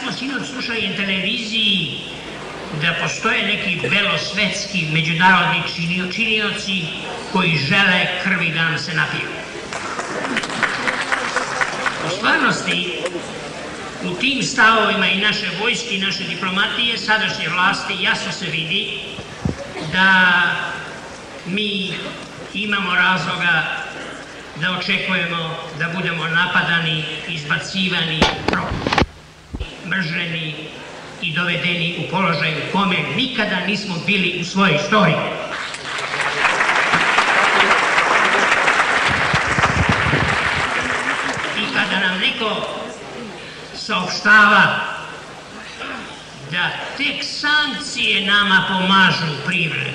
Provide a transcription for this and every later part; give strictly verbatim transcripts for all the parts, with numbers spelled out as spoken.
smo sinoć slušali na televiziji da postoje neki belosvetski međunarodni činioci koji žele krvi da nam se napiju. U stvarnosti, u tim stavovima i naše vojske i naše diplomatije, sadašnje vlasti, jasno se vidi da mi imamo razloga da očekujemo da budemo napadani, izbacivani, mrženi i dovedeni u položaj u kome nikada nismo bili u svojoj istoriji. I kada nam neko saopštava da tek sankcije nama pomažu u privredi,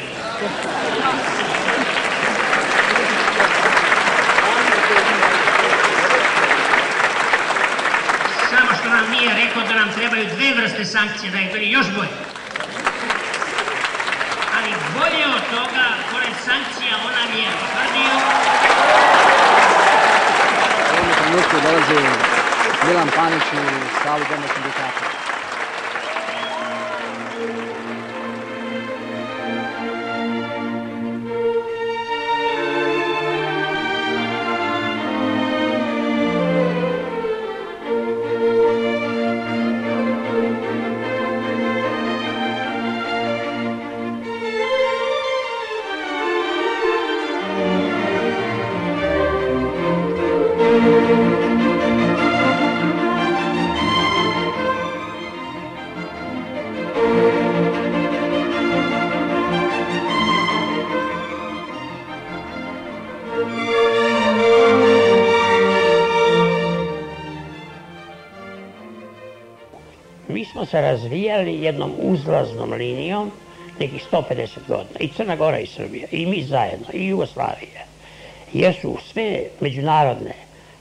samo što nam nije rekao da nam trebaju dve vrste sankcije, da je bili još bolje. Ali bolje od toga, pored sankcija, on nam je potvrdio... U ovom trenutku dolazi Milan Panić u salu Doma sindikata. Mi smo se razvijali jednom uzlaznom linijom nekih sto pedeset godina, i Crna Gora i Srbija, i mi zajedno, i Jugoslavija, jer su sve međunarodne,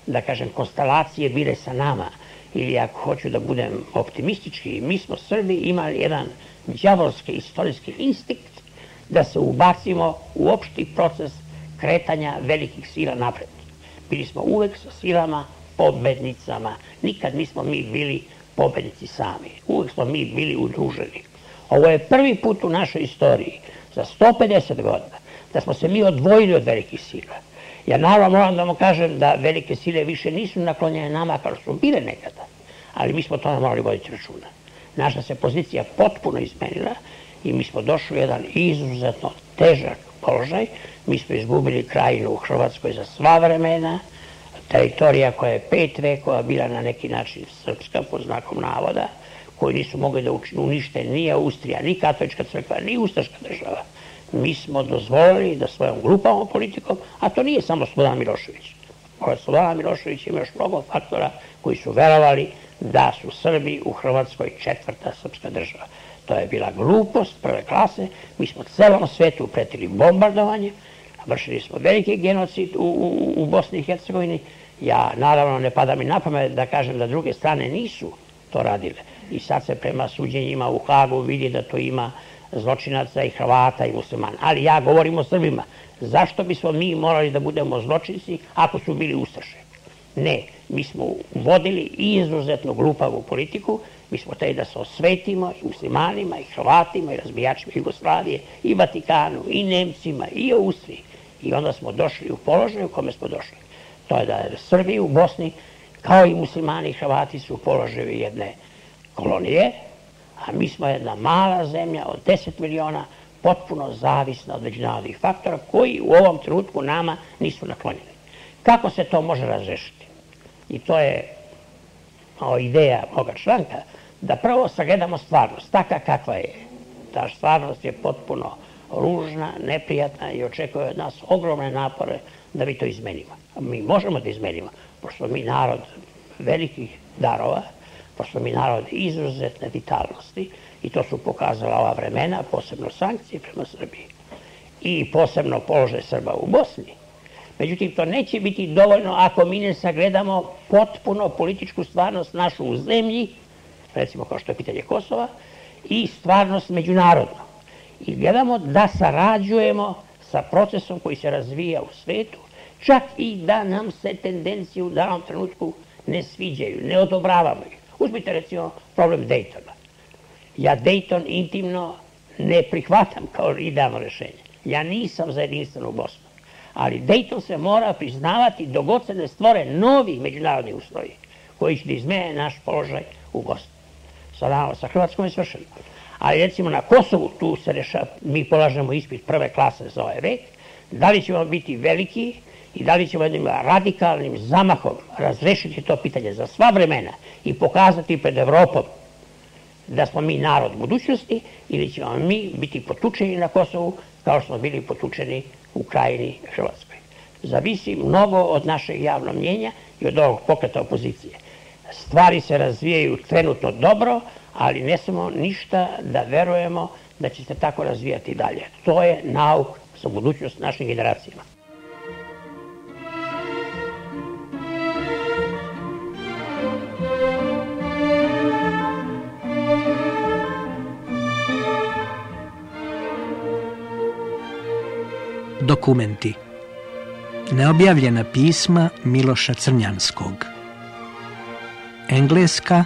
da kažem, konstelacije bile sa nama, ili ako hoću da budem optimistički, mi smo Srbi imali jedan đavolski istorijski instinkt da se ubacimo u opšti proces kretanja velikih sila napred. Bili smo uvek sa silama pobednicama, nikad nismo mi bili pobednici sami, uvek smo mi bili udruženi. Ovo je prvi put u našoj istoriji, za sto pedeset godina, da smo se mi odvojili od velikih sila. Ja naravno moram da vam kažem da velike sile više nisu naklonjene nama kao što su bile nekada, ali mi smo to morali voditi računa. Naša se pozicija potpuno izmenila i mi smo došli u jedan izuzetno težak položaj. Mi smo izgubili krajinu u Hrvatskoj za sva vremena, teritorija koja je pet vekova bila na neki način srpska, pod znakom navoda, koji nisu mogli da unište ni Austrija, ni katolička crkva, ni ustaška država. Mi smo dozvolili da svojom grupalnom politikom, a to nije samo Slobodan Milošević. Pored Slobodana Miloševića ima još mnogo faktora koji su verovali da su Srbi u Hrvatskoj četvrta srpska država. To je bila glupost prve klase, mi smo celom svetu pretili bombardovanje, vršili smo veliki genocid u, u, u Bosni i Hercegovini. Ja naravno ne pada mi na pamet da kažem da druge strane nisu to radile. I sad se prema suđenjima u Hagu vidi da to ima zločinaca i Hrvata i muslimana. Ali ja govorim o Srbima. Zašto bismo mi morali da budemo zločinci ako su bili ustaše? Ne, mi smo vodili izuzetno glupavu politiku, mi smo hteli da se osvetimo i muslimanima, i Hrvatima, i razbijačima Jugoslavije, i Vatikanu, i Nemcima, i Austriji. I onda smo došli u položaj u kome smo došli. To je da je Srbi u Bosni, kao i muslimani i Hrvati, su u položaju jedne kolonije, a mi smo jedna mala zemlja od deset miliona, potpuno zavisna od međunarodnih faktora koji u ovom trenutku nama nisu naklonjeni. Kako se to može razrešiti? I to je ideja moga članka, da prvo sagledamo stvarnost, taka kakva je. Ta stvarnost je potpuno ružna, neprijatna i očekuje od nas ogromne napore da mi to izmenimo. Mi možemo da izmenimo, pošto mi narod velikih darova, pošto mi narod izuzetne vitalnosti, i to su pokazala ova vremena, posebno sankcije prema Srbiji i posebno položaj Srba u Bosni. Međutim, to neće biti dovoljno ako mi ne sagledamo potpuno političku stvarnost našu u zemlji, recimo kao što je pitanje Kosova, i stvarnost međunarodno. I gledamo da sarađujemo sa procesom koji se razvija u svetu, čak i da nam se tendencije u danom trenutku ne sviđaju, ne odobravamo ih. Uzmite recimo problem Dejtona. Ja Dejton intimno ne prihvatam kao idealno rešenje. Ja nisam za jedinstvenu Bosnu. Ali Dejton se mora priznavati dok god se ne stvore novi međunarodni uslovi koji će da izmene naš položaj u Bosni. Sa, sa Hrvatskom je svršeno. Ali recimo na Kosovu tu se rešava, mi polažemo ispit prve klase za ovaj vek, da li ćemo biti veliki i da li ćemo jednim radikalnim zamahom razrešiti to pitanje za sva vremena i pokazati pred Evropom da smo mi narod budućnosti ili ćemo mi biti potučeni na Kosovu kao što smo bili potučeni u Krajini Hrvatskoj. Zavisi mnogo od našeg javnog mnjenja i od ovog pokreta opozicije. Stvari se razvijaju trenutno dobro, ali ne smemo ništa da verujemo da će se tako razvijati dalje. To je nauk za budućnost našim generacijama. Dokumenti. Neobjavljena pisma Miloša Crnjanskog. Engleska,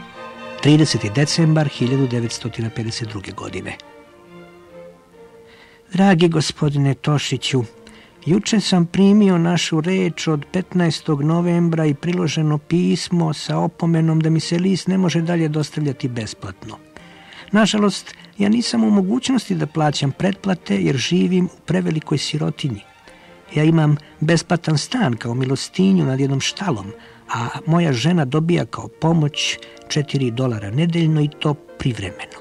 trideseti decembar hiljadu devetsto pedeset druge. godine. Dragi gospodine Tošiću, juče sam primio našu reč od petnaestog novembra i priloženo pismo sa opomenom da mi se list ne može dalje dostavljati besplatno. Nažalost, ja nisam u mogućnosti da plaćam pretplate jer živim u prevelikoj sirotinji. Ja imam besplatan stan kao milostinju nad jednom štalom, a moja žena dobija kao pomoć četiri dolara nedeljno i to privremeno.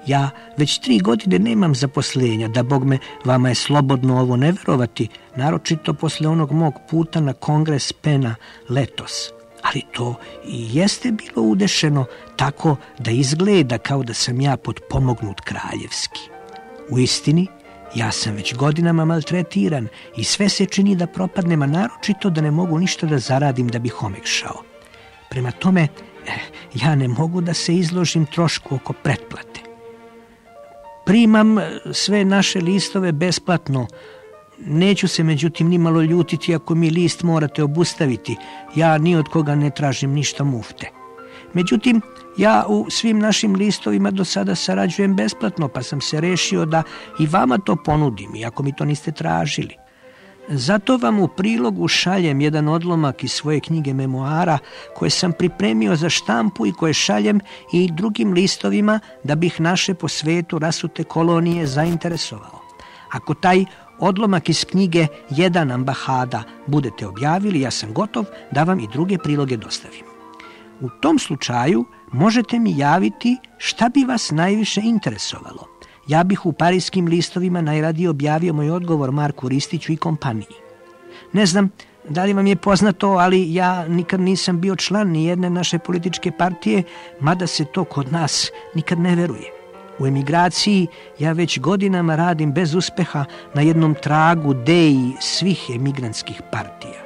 Ja već tri godine nemam zaposlenja, da bog me, vama je slobodno ovo ne verovati, naročito posle onog mog puta na kongres Pena letos. Ali to i jeste bilo udešeno tako da izgleda kao da sam ja potpomognut kraljevski. U istini, ja sam već godinama maltretiran i sve se čini da propadnem, a naročito da ne mogu ništa da zaradim da bih omekšao. Prema tome, ja ne mogu da se izložim trošku oko pretplate. Primam sve naše listove besplatno. Neću se međutim nimalo ljutiti ako mi list morate obustaviti. Ja ni od koga ne tražim ništa mufte. Međutim, ja u svim našim listovima do sada sarađujem besplatno, pa sam se rešio da i vama to ponudim, iako mi to niste tražili. Zato vam u prilogu šaljem jedan odlomak iz svoje knjige memoara koje sam pripremio za štampu i koje šaljem i drugim listovima da bih naše po svetu rasute kolonije zainteresovao. Ako taj odlomak iz knjige Jedan ambahada budete objavili, ja sam gotov da vam i druge priloge dostavim. U tom slučaju možete mi javiti šta bi vas najviše interesovalo. Ja bih u parijskim listovima najradije objavio moj odgovor Marku Ristiću i kompaniji. Ne znam da li vam je poznato, ali ja nikad nisam bio član ni jedne naše političke partije, mada se to kod nas nikad ne veruje. U emigraciji ja već godinama radim bez uspeha na jednom tragu deji svih emigrantskih partija.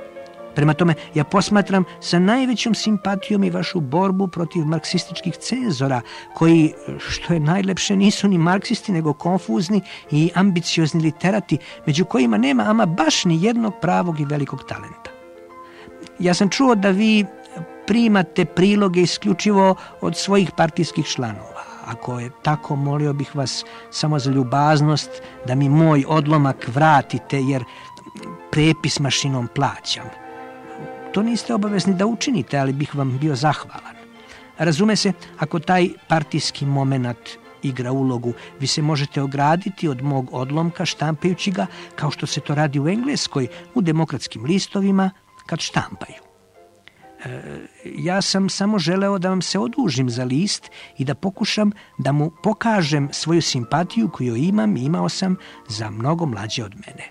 Prema tome, ja posmatram sa najvećom simpatijom i vašu borbu protiv marksističkih cenzora, koji, što je najlepše, nisu ni marksisti, nego konfuzni i ambiciozni literati, među kojima nema ama baš ni jednog pravog i velikog talenta. Ja sam čuo da vi primate priloge isključivo od svojih partijskih članova. Ako je tako, molio bih vas samo za ljubaznost da mi moj odlomak vratite, jer prepis mašinom plaćam. To niste obavezni da učinite, ali bih vam bio zahvalan. Razume se, ako taj partijski momenat igra ulogu, vi se možete ograditi od mog odlomka štampajući ga kao što se to radi u Engleskoj, u demokratskim listovima kad štampaju. E, ja sam samo želeo da vam se odužim za list i da pokušam da mu pokažem svoju simpatiju koju imam i imao sam za mnogo mlađe od mene.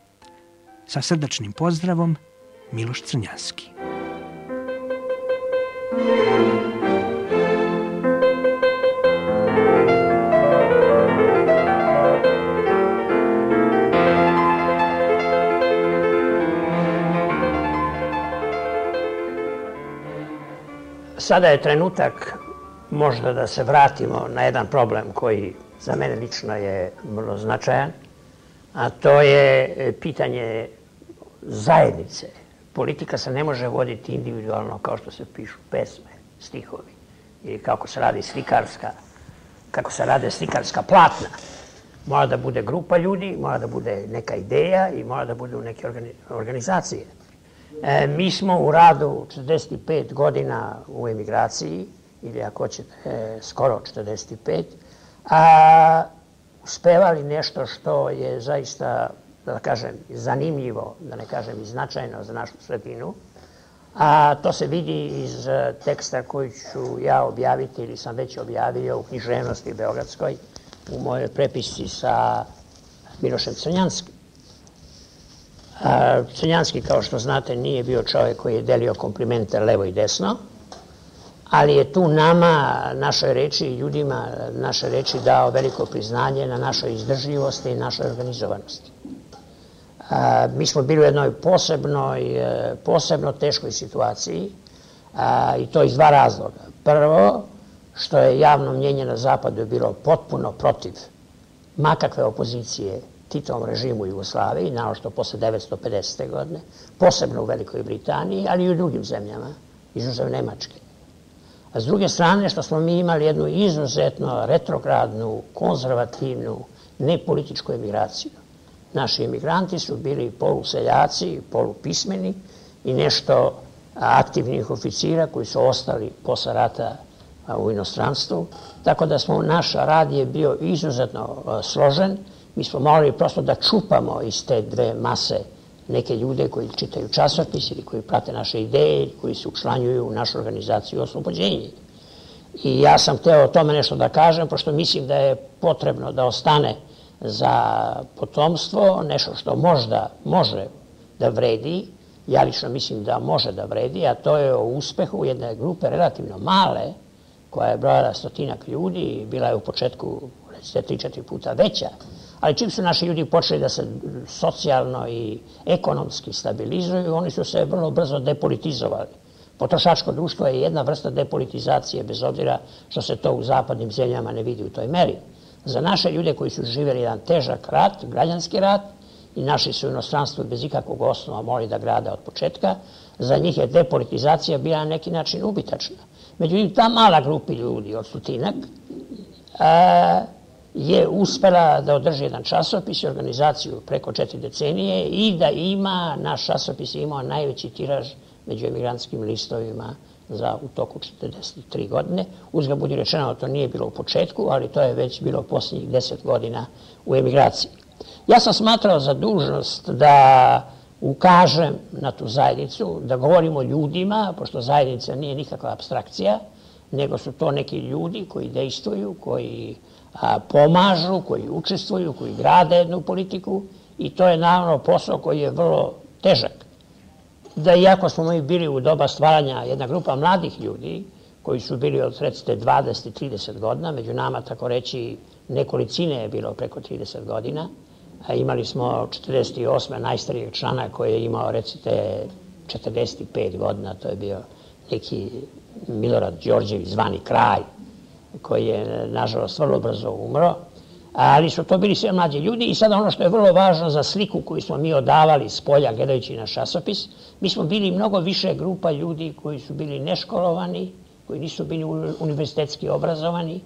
Sa srdačnim pozdravom, Miloš Crnjanski. Sada je trenutak možda da se vratimo na jedan problem koji za mene lično je vrlo značajan, a to je pitanje zajednice. Politika se ne može voditi individualno kao što se pišu pesme, stihovi. i kako se radi slikarska, kako se rade slikarska platna. Mora da bude grupa ljudi, mora da bude neka ideja i mora da budu neke organizacije. E, mi smo u radu četrdeset pet godina u emigraciji, ili ako hoćete e, skoro četrdeset pet, a uspevali nešto što je zaista, da kažem, zanimljivo, da ne kažem i značajno za našu sredinu. A to se vidi iz teksta koji ću ja objaviti ili sam već objavio u književnosti beogradskoj u mojoj prepisci sa Milošem Crnjanskim. Crnjanski, kao što znate, nije bio čovjek koji je delio komplimente levo i desno, ali je tu nama, našoj reči i ljudima naše reči dao veliko priznanje na našoj izdržljivosti i našoj organizovanosti. A, mi smo bili u jednoj posebnoj, posebno teškoj situaciji a, i to iz dva razloga. Prvo, što je javno mnjenje na zapadu bilo potpuno protiv makakve opozicije Titovom režimu u Jugoslaviji, naročito posle devetsto pedesete. godine, posebno u Velikoj Britaniji, ali i u drugim zemljama, izuzev Nemačke. A s druge strane, što smo mi imali jednu izuzetno retrogradnu, konzervativnu, nepolitičku emigraciju. Naši emigranti su bili poluseljaci, polupismeni i nešto aktivnih oficira koji su ostali posle rata u inostranstvu. Tako da smo, naš rad je bio izuzetno složen. Mi smo morali prosto da čupamo iz te dve mase neke ljude koji čitaju časopis ili koji prate naše ideje, koji se učlanjuju u našu organizaciju Oslobođenje. I ja sam hteo o tome nešto da kažem, pošto mislim da je potrebno da ostane za potomstvo nešto što možda može da vredi. Ja lično mislim da može da vredi, a to je o uspehu jedne grupe relativno male, koja je brojala stotinak ljudi i bila je u početku, recite, tri četiri puta veća. Ali čim su naši ljudi počeli da se socijalno i ekonomski stabilizuju, oni su se vrlo brzo depolitizovali. Potrošačko društvo je jedna vrsta depolitizacije, bez obzira što se to u zapadnim zemljama ne vidi u toj meri. Za naše ljude koji su živjeli jedan težak rat, građanski rat, i našli su u inostranstvu bez ikakvog osnova morali da grade od početka, za njih je depolitizacija bila na neki način ubitačna. Međutim, ta mala grupa ljudi od stotinak je uspela da održi jedan časopis i organizaciju preko četiri decenije i da ima, naš časopis je imao najveći tiraž među emigrantskim listovima za u toku četrdeset tri godine. Uzgled budi rečeno, to nije bilo u početku, ali to je već bilo posljednjih deset godina u emigraciji. Ja sam smatrao za dužnost da ukažem na tu zajednicu, da govorim o ljudima, pošto zajednica nije nikakva apstrakcija, nego su to neki ljudi koji dejstvuju, koji a, pomažu, koji učestvuju, koji grade jednu politiku i to je naravno posao koji je vrlo težak. Da iako smo mi bili u doba stvaranja jedna grupa mladih ljudi, koji su bili od recite dvadeset do trideset godina, među nama tako reći nekolicine je bilo preko trideset godina, a imali smo četrdeset osme najstarijeg člana koji je imao recite četrdeset pet godina, to je bio neki Milorad Đorđević zvani Kralj, koji je nažalost vrlo brzo umro, ali su to bili sve mlađi ljudi i sada ono što je vrlo važno za sliku koju smo mi odavali s polja gledajući naš časopis, mi smo bili mnogo više grupa ljudi koji su bili neškolovani, koji nisu bili univerzitetski obrazovani,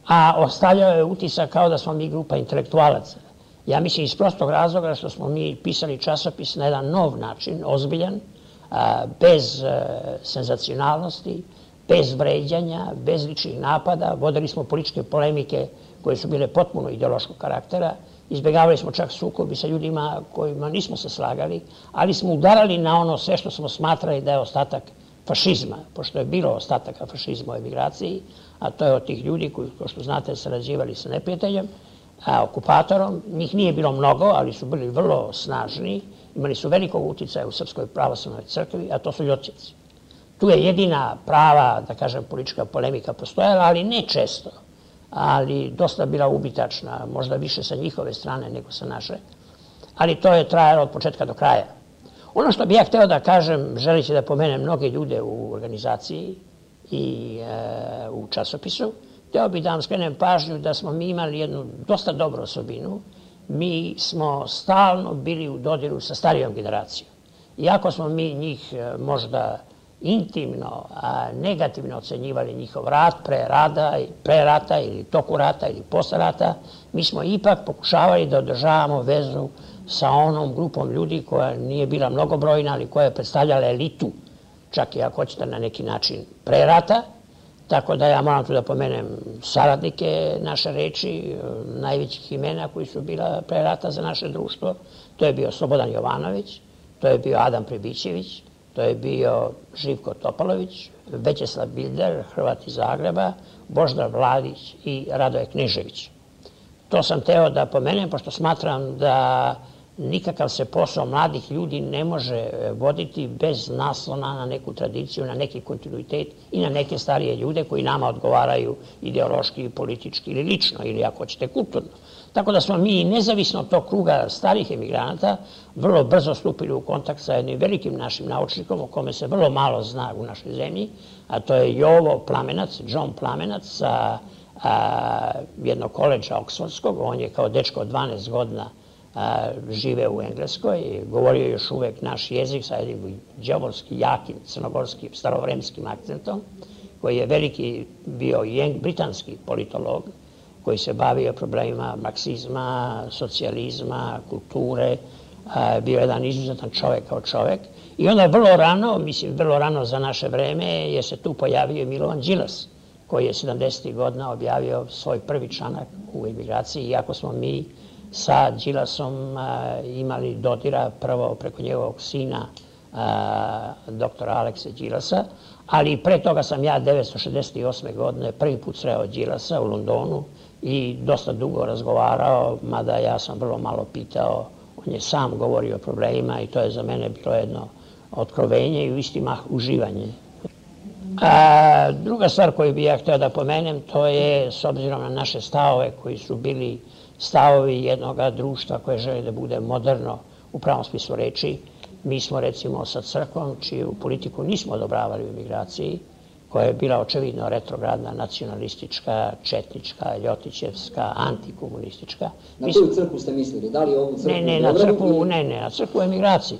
a ostavljao je utisak kao da smo mi grupa intelektualaca. Ja mislim iz prostog razloga što smo mi pisali časopis na jedan nov način, ozbiljan, bez senzacionalnosti, bez vređanja, bez ličnih napada, vodili smo političke polemike koje su bile potpuno ideološkog karaktera, izbjegavali smo čak sukobi sa ljudima kojima nismo se slagali, ali smo udarali na ono sve što smo smatrali da je ostatak fašizma, pošto je bilo ostataka fašizma u emigraciji, a to je od tih ljudi koji, kao što znate, sarađivali sa neprijateljem, a, okupatorom. Njih nije bilo mnogo, ali su bili vrlo snažni, imali su velikog uticaja u Srpskoj pravoslavnoj crkvi, a to su Ljotićevci. Tu je jedina prava, da kažem, politička polemika postojala, ali ne često, ali dosta bila ubitačna, možda više sa njihove strane nego sa naše, ali to je trajalo od početka do kraja. Ono što bih ja hteo da kažem, želeći da pomenem mnoge ljude u organizaciji i e, u časopisu, hteo bih da vam skrenem pažnju da smo mi imali jednu dosta dobru osobinu. Mi smo stalno bili u dodiru sa starijom generacijom. Iako smo mi njih možda intimno, negativno ocenjivali njihov rad pre rada, pre rata ili toku rata ili posle rata, mi smo ipak pokušavali da održavamo vezu sa onom grupom ljudi koja nije bila mnogobrojna, ali koja je predstavljala elitu, čak i ako hoćete na neki način pre rata. Tako da ja moram tu da pomenem saradnike naše reči, najvećih imena koji su bila pre rata za naše društvo. To je bio Slobodan Jovanović, to je bio Adam Pribićević, to je bio Živko Topalović, Većeslav Bilder, Hrvat iz Zagreba, Božidar Vladić i Radoje Knežević. To sam teo da pomenem, pošto smatram da nikakav se posao mladih ljudi ne može voditi bez naslona na neku tradiciju, na neki kontinuitet i na neke starije ljude koji nama odgovaraju ideološki, politički ili lično, ili ako hoćete kulturno. Tako da smo mi, nezavisno od tog kruga starih emigranata, vrlo brzo stupili u kontakt sa jednim velikim našim naučnikom o kome se vrlo malo zna u našoj zemlji, a to je Jovo Plamenac, John Plamenac sa jednog koledža Oksfordskog. On je kao dečko od dvanaest godina žive u Engleskoj, govorio još uvek naš jezik sa jednim đavolski, jakim, crnogorskim, starovremskim akcentom, koji je veliki bio i britanski politolog, koji se bavio problemima marksizma, socijalizma, kulture, bio jedan izuzetan čovek kao čovek. I onda vrlo rano, mislim vrlo rano za naše vreme, je se tu pojavio Milovan Đilas, koji je sedamdesetih godina objavio svoj prvi članak u emigraciji, iako smo mi sa Đilasom imali dodira prvo preko njegovog sina, doktora Alekse Đilasa, ali pre toga sam ja devetsto šezdeset osme godine prvi put sreo Đilasa u Londonu i dosta dugo razgovarao, mada ja sam vrlo malo pitao, on je sam govorio o problemima i to je za mene bilo jedno otkrovenje i u isti mah uživanje. A druga stvar koju bih ja hteo da pomenem, to je, s obzirom na naše stavove koji su bili stavovi jednog društva koje želi da bude moderno u pravom smislu reči, mi smo recimo sa crkvom, čiju politiku nismo odobravali u emigraciji, koja je bila očevidno retrogradna, nacionalistička, četnička, ljotićevska, antikomunistička. Na koju crkvu ste mislili? Da li ovu crkvu? Ne, ne, na crkvu, ne, ne, na crkvu u emigraciji.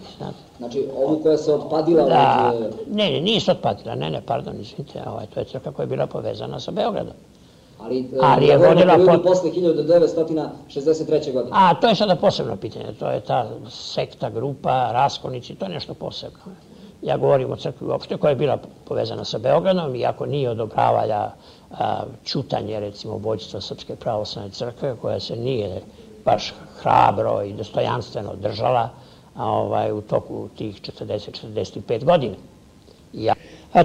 Znači, ovu koja se otpadila? Da, ne, ne, nije se otpadila, ne, ne, pardon, izvinite, to je crkva koja je bila povezana sa Beogradom. Ali je vodila periodu posle hiljadu devetsto šezdeset treće. godine. A, to je sada posebno pitanje, to je ta sekta, grupa, raskonici, to je nešto posebno. Ja govorim o crkvi uopšte koja je bila povezana sa Beogradom, iako nije odobravala ćutanje, recimo, vođstva Srpske pravoslavne crkve, koja se nije baš hrabro i dostojanstveno držala u toku tih četrdeset do četrdeset pet godina.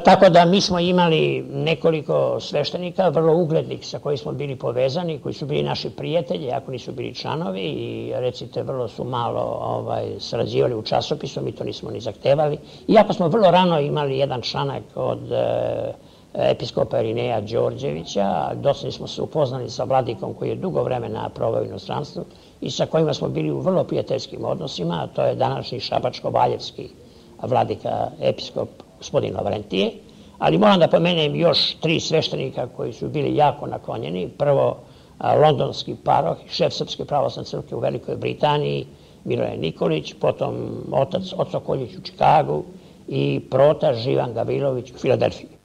Tako da mi smo imali nekoliko sveštenika, vrlo uglednih sa koji smo bili povezani, koji su bili naši prijatelji, ako nisu bili članovi i recite vrlo su malo sarađivali u časopisu, mi to nismo ni zahtevali. Iako smo vrlo rano imali jedan članak od episkopa Irineja Đorđevića, dosta smo se upoznali sa vladikom koji je dugo vremena proveo u inostranstvu i sa kojima smo bili u vrlo prijateljskim odnosima, a to je današnji šabačko-valjevski vladika, episkop gospodin Lavrentije, ali moram da pomenem još tri sveštenika koji su bili jako naklonjeni. Prvo, londonski paroh, šef Srpske pravoslavne crkve u Velikoj Britaniji, Miroje Nikolić, potom otac Oco Koljić u Čikagu i prota Živan Gavrilović u Filadelfiji.